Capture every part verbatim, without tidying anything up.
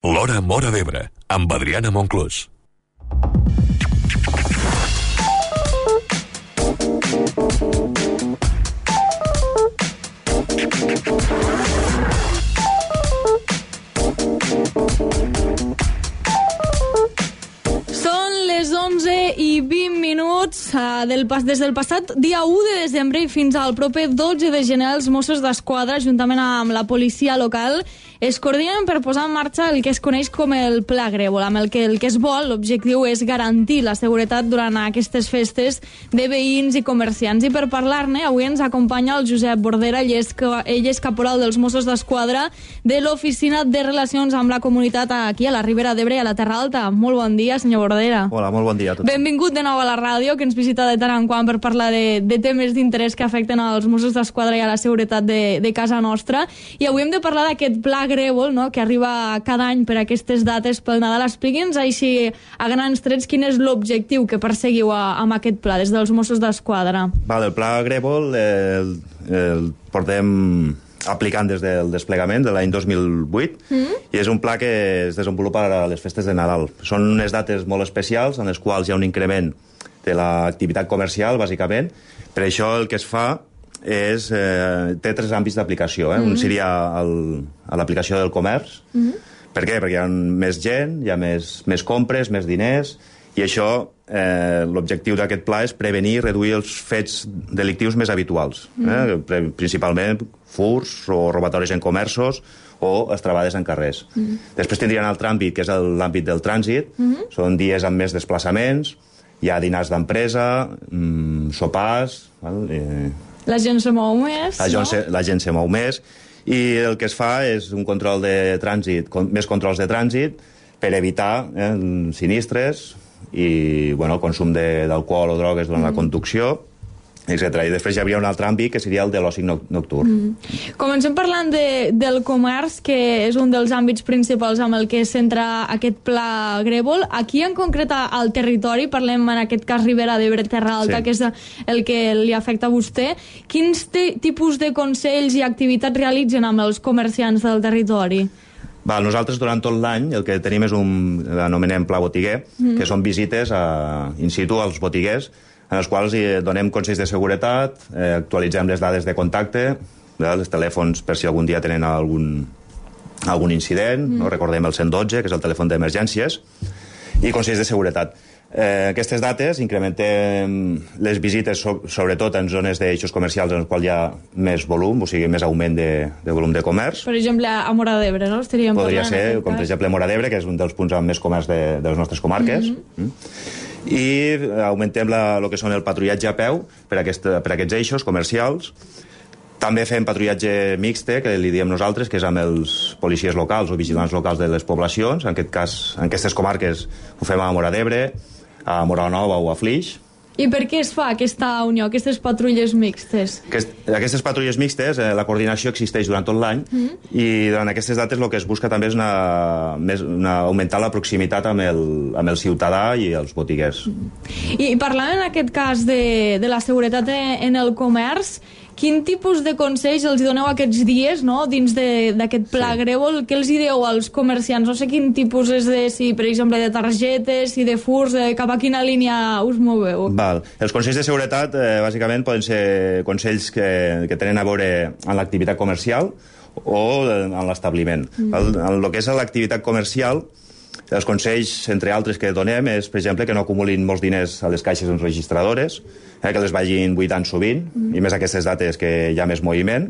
L'Hora Móra d'Ebre, amb Adriana Monclús. Són les onze i vint minuts uh, del pas, des del passat dia u de desembre i fins al proper dotze de gener els Mossos d'Esquadra, juntament amb la policia local, es coordinen per posar en marxa el que es coneix com el Pla Grèvol, amb el que el que es vol, l'objectiu és garantir la seguretat durant aquestes festes de veïns i comerciants. I per parlar-ne, avui ens acompanya el Josep Bordera, ell és, ell és caporal dels Mossos d'Esquadra de l'Oficina de Relacions amb la Comunitat aquí a la Ribera d'Ebre i a la Terra Alta. Molt bon dia, senyor Bordera. Hola, molt bon dia a tots. Benvingut de nou a la ràdio, que ens visita de tant en quant per parlar de, de temes d'interès que afecten als Mossos d'Esquadra i a la seguretat de, de casa nostra. I avui hem de parlar d'aquest Pla Grèvol, no?, que arriba cada any per aquestes dates pel Nadal. Expliqui'ns així a grans trets quin és l'objectiu que perseguiu a, amb aquest pla des dels Mossos d'Esquadra. Val, el Pla Grèvol el, el portem aplicant des del desplegament de l'any dos mil vuit mm. i és un pla que es desenvolupa a les festes de Nadal. Són unes dates molt especials en les quals hi ha un increment de l'activitat comercial, bàsicament. Per això el que es fa és, eh, té tres àmbits d'aplicació. Eh? Mm -hmm. Un seria el, a l'aplicació del comerç. Mm -hmm. Per què? Perquè hi ha més gent, hi ha més, més compres, més diners, i això, eh, l'objectiu d'aquest pla és prevenir i reduir els fets delictius més habituals. Mm -hmm. eh? Principalment furts o robatoris en comerços o estrabades en carrers. Mm -hmm. Després tindria un altre àmbit, que és l'àmbit del trànsit. Mm -hmm. Són dies amb més desplaçaments, hi ha dinars d'empresa, mmm, sopars... Val? Eh, La gent se mou més, la gent, no? se, la gent se mou més, i el que es fa és un control de trànsit, con, més controls de trànsit, per evitar eh, sinistres i bueno, el consum d'alcohol o drogues durant mm. la conducció, etcètera. I després hi hauria un altre àmbit, que seria el de l'oci nocturn. Mm. Comencem parlant de, del comerç, que és un dels àmbits principals amb el que es centra aquest Pla Grèvol. Aquí, en concret, al territori, parlem en aquest cas Ribera d'Ebre, Terra Alta, sí, que és el que li afecta a vostè. Quins tipus de consells i activitats realitzen amb els comerciants del territori? Val, nosaltres durant tot l'any el que tenim és un, l'anomenem Pla Botiguer, mm. que són visites a, in situ als botiguers, en els quals donem consells de seguretat, eh, actualitzem les dades de contacte, eh, els telèfons per si algun dia tenen algun, algun incident, mm. no? Recordem el cent dotze, que és el telèfon d'emergències, i consells de seguretat. Eh, aquestes dates incrementem les visites, so, sobretot en zones d'eixos comercials en els quals hi ha més volum, o sigui, més augment de, de volum de comerç. Per exemple, a Móra d'Ebre, no? Estaríem Podria ser, com per exemple Móra d'Ebre, que és un dels punts amb més comerç de, de les nostres comarques. Mm-hmm. Mm. I augmentem la, el que són el patrullatge a peu per, aquest, per aquests eixos comercials. També fem patrullatge mixte, que li diem nosaltres, que és amb els policies locals o vigilants locals de les poblacions. En aquest cas, en aquestes comarques ho fem a Móra d'Ebre, a Móra la Nova o a Flix. I per què es fa aquesta unió, aquestes patrulles mixtes? Aquest, aquestes patrulles mixtes, eh, la coordinació existeix durant tot l'any, mm. i durant aquestes dates el que es busca també és una, més, una, augmentar la proximitat amb el, amb el ciutadà i els botiguers. Mm. I parlant en aquest cas de, de la seguretat en el comerç, quin tipus de consells els doneu aquests dies, no?, dins d'aquest Pla sí. Grèvol? Què els dieu als comerciants? No sé quin tipus és de, si, per exemple, de targetes, si de furs, de cap a quina línia us moveu? Val. Els consells de seguretat, eh, bàsicament, poden ser consells que, que tenen a veure amb l'activitat comercial o en l'establiment. Mm. En el que és l'activitat comercial, els consells, entre altres, que donem és, per exemple, que no acumulin molts diners a les caixes enregistradores, eh, que les vagin buidant sovint, mm. i més aquestes dates que hi ha més moviment.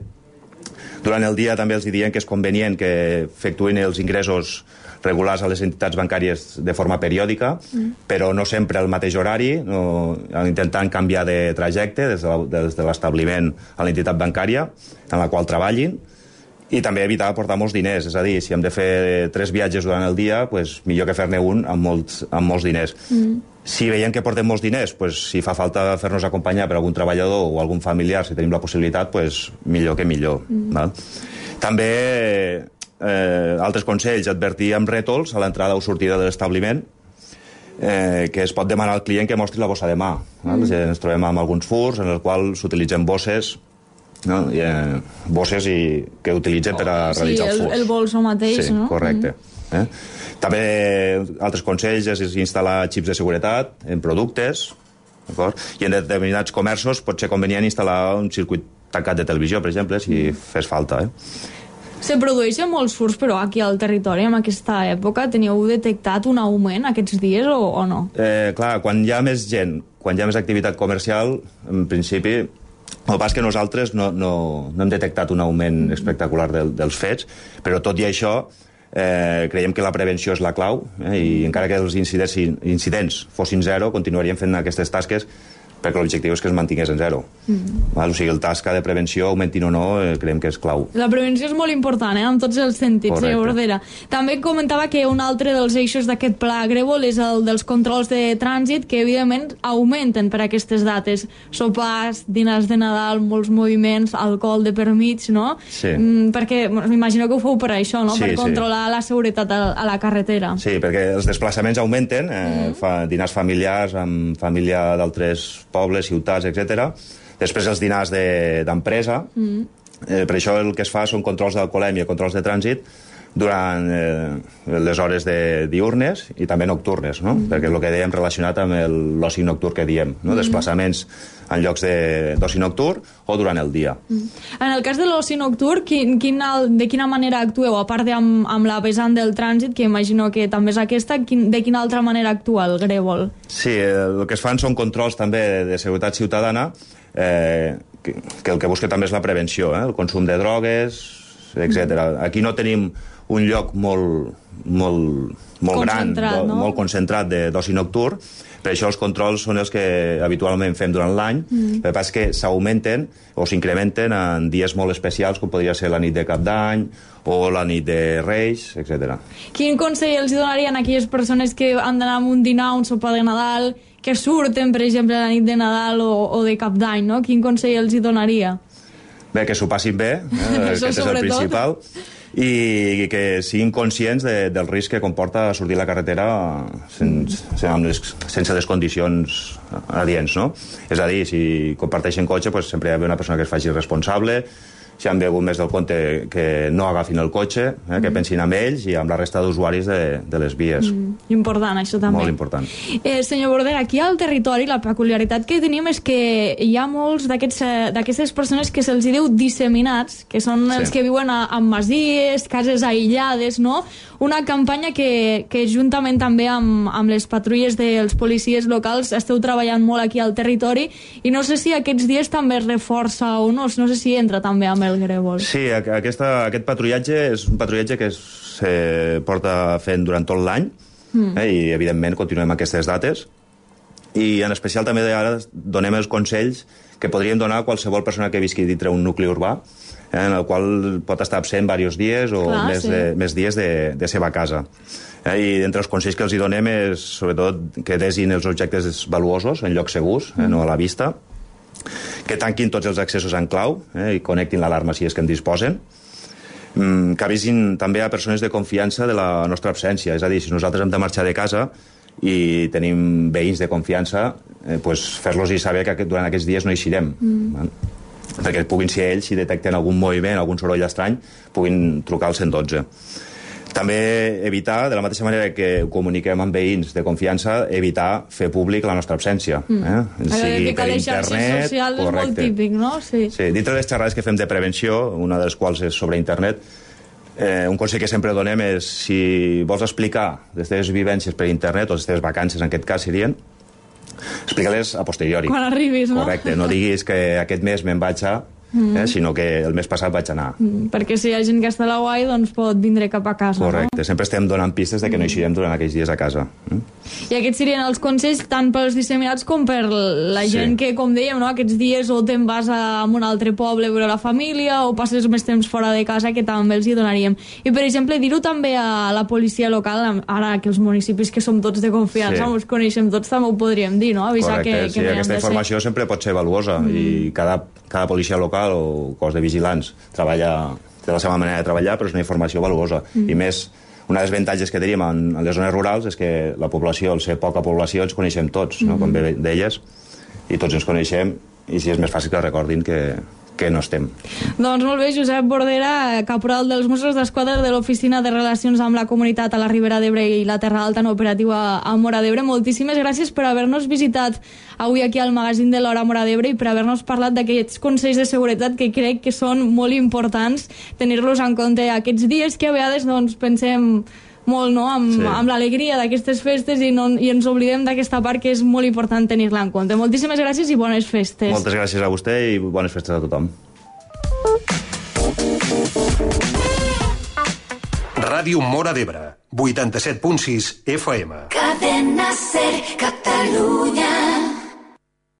Durant el dia també els diem que és convenient que efectuïn els ingressos regulars a les entitats bancàries de forma periòdica, mm. però no sempre al mateix horari, no, intentant canviar de trajecte des de l'establiment a l'entitat bancària en la qual treballin. I també evitar portar molts diners, és a dir, si hem de fer tres viatges durant el dia, pues, millor que fer-ne un amb molts, amb molts diners. Mm. Si veiem que portem molts diners, pues, si fa falta fer-nos acompanyar per algun treballador o algun familiar, si tenim la possibilitat, pues, millor que millor. Mm. Val? També, eh, altres consells, advertir amb rètols a l'entrada o sortida de l'establiment, eh, que es pot demanar al client que mostri la bossa de mà. Mm. Ens trobem amb alguns furs en els quals s'utilitzen bosses, no? I, eh, bosses i, que utilitzen oh, per a realitzar sí, el furs. Sí, el bolso mateix, sí, no? Correcte. Mm. Eh? També altres consells és instal·lar xips de seguretat en productes, i en determinats comerços pot ser convenient instal·lar un circuit tancat de televisió, per exemple, si fes falta. Eh? Se produeixen molts furts, però aquí al territori, en aquesta època, teníeu detectat un augment aquests dies o, o no? Eh, clar, quan hi ha més gent, quan hi ha més activitat comercial, en principi, el pas que nosaltres no, no, no hem detectat un augment espectacular del, dels fets, però tot i això, eh, creiem que la prevenció és la clau, eh, i encara que els incidents, incidents fossin zero, continuaríem fent aquestes tasques perquè l'objectiu és que es mantingués en zero. Mm. O sigui, el tasca de prevenció, augmentin o no, eh, creiem que és clau. La prevenció és molt important, eh, en tots els sentits, Correcte. senyor Bordera. També comentava que un altre dels eixos d'aquest pla Grèvol és el dels controls de trànsit, que evidentment augmenten per aquestes dates. Sopars, dinars de Nadal, molts moviments, alcohol de per mig, no? Sí. Mm, perquè m'imagino que ho feu per això, no? Sí, per sí. controlar la seguretat a, a la carretera. Sí, perquè els desplaçaments augmenten, eh, mm. fa dinars familiars amb família d'altres pobles, ciutats, etcètera. Després els dinars d'empresa. De, mm. eh, per això el que es fa són controls d'alcoholèmia, controls de trànsit durant eh, les hores de diurnes i també nocturnes, no? Mm. Perquè és el que dèiem relacionat amb l'oci nocturn que diem, no? Mm. Desplaçaments en llocs d'oci nocturn o durant el dia. Mm. En el cas de l'oci nocturn, quin, quin, de quina manera actueu? A part de amb, amb la vessant del trànsit, que imagino que també és aquesta, quin, de quina altra manera actua el Grèvol? Sí, el que es fan són controls també de seguretat ciutadana, eh, que, que el que busca també és la prevenció, eh? El consum de drogues, etcètera. Mm. Aquí no tenim un lloc molt, molt, molt gran, no? molt concentrat d'oci nocturn, per això els controls són els que habitualment fem durant l'any, mm. el que passa és que s'augmenten o s'incrementen en dies molt especials, com podria ser la nit de Cap d'Any o la nit de Reis, etcètera. Quin consell els donarien a aquelles persones que han d'anar a un dinar, un sopar de Nadal, que surten, per exemple, la nit de Nadal o, o de Cap d'Any, no? Quin consell els donaria? Bé, que s'ho passin bé, eh? Aquest és el principal, i que siguin conscients de, del risc que comporta sortir a la carretera sense, les, sense les condicions adients, no? És a dir, si comparteixen cotxe, pues, sempre hi ha una persona que es faci responsable, si han begut més del compte, que no agafin el cotxe, eh, que pensin amb ells i amb la resta d'usuaris de, de les vies. Mm, important, això també. Molt important. Eh, senyor Bordera, aquí al territori la peculiaritat que tenim és que hi ha molts d'aquestes persones que se'ls diu disseminats, que són sí. els que viuen a, a masies, cases aïllades, no? Una campanya que, que juntament també amb, amb les patrulles dels policies locals esteu treballant molt aquí al territori, i no sé si aquests dies també es reforça o no, no sé si entra també amb el Grèvol. Sí, aquesta, aquest patrullatge és un patrullatge que se porta fent durant tot l'any, mm. eh, i evidentment continuem aquestes dates, i en especial també ara donem els consells que podríem donar a qualsevol persona que visqui dintre un nucli urbà, eh, en el qual pot estar absent diversos dies o Clar, més, sí. de, més dies de, de seva casa. Eh, I entre els consells que els hi donem és, sobretot, que desin els objectes valuosos en llocs segurs, eh, no a la vista, que tanquin tots els accessos en clau, eh, i connectin l'alarma si és que en disposen, mm, que avisin també a persones de confiança de la nostra absència. És a dir, si nosaltres hem de marxar de casa i tenim veïns de confiança, eh, pues fer-los saber que durant aquests dies no eixirem. Mm. Perquè puguin ser ells, si detecten algun moviment, algun soroll estrany, puguin trucar al cent dotze. També evitar, de la mateixa manera que ho comuniquem amb veïns de confiança, evitar fer públic la nostra absència. Mm. Eh? Sigui per internet, social és molt típic, no? Sí. Sí, dintre les xerrades que fem de prevenció, una de les quals és sobre internet, eh, un consell que sempre donem és, si vols explicar les teves vivències per internet, o les teves vacances, en aquest cas serien, explica-les a posteriori. Quan arribis, no? Correcte, no diguis que aquest mes me'n vaig a... Mm. Eh, sinó que el mes passat vaig anar. Mm, perquè si hi ha gent que està a la guai, doncs pot vindre cap a casa. Correcte, no? Sempre estem donant pistes de que no eixirem durant aquells dies a casa. Mm? I aquests serien els consells tant pels disseminats com per la gent sí. que, com dèiem, no? Aquests dies o te'n vas a, a un altre poble a veure la família o passes més temps fora de casa, que també els hi donaríem. I, per exemple, dir-ho també a la policia local, ara que els municipis que som tots de confiança, sí. ens coneixem tots, també ho podríem dir, no? Avisar Correcte, que, que sí, aquesta informació ser... sempre pot ser valuosa, mm. i cada, cada policia local o cos de vigilants treballa, té la seva manera de treballar, però és una informació valuosa. Mm. I més, una de les avantatges que tenim en, en les zones rurals és que la població, al ser poca població, ens coneixem tots, no? Mm. Com bé d'elles, i tots ens coneixem, i si és més fàcil que recordin que, que no estem. Doncs molt bé, Josep Bordera, caporal dels Mossos d'Esquadra de l'Oficina de Relacions amb la Comunitat a la Ribera d'Ebre i la Terra Alta en operativa a Móra d'Ebre. Moltíssimes gràcies per haver-nos visitat avui aquí al magazín de l'Hora Móra d'Ebre i per haver-nos parlat d'aquests consells de seguretat que crec que són molt importants tenir-los en compte aquests dies que a vegades doncs, pensem molt, no?, amb, sí. amb l'alegria d'aquestes festes i, no, i ens oblidem d'aquesta part que és molt important tenir-la en compte. Moltíssimes gràcies i bones festes. Moltes gràcies a vostè i bones festes a tothom. Ràdio Móra d'Ebre, vuitanta-set punt sis F M. Cadena Ser, Catalunya.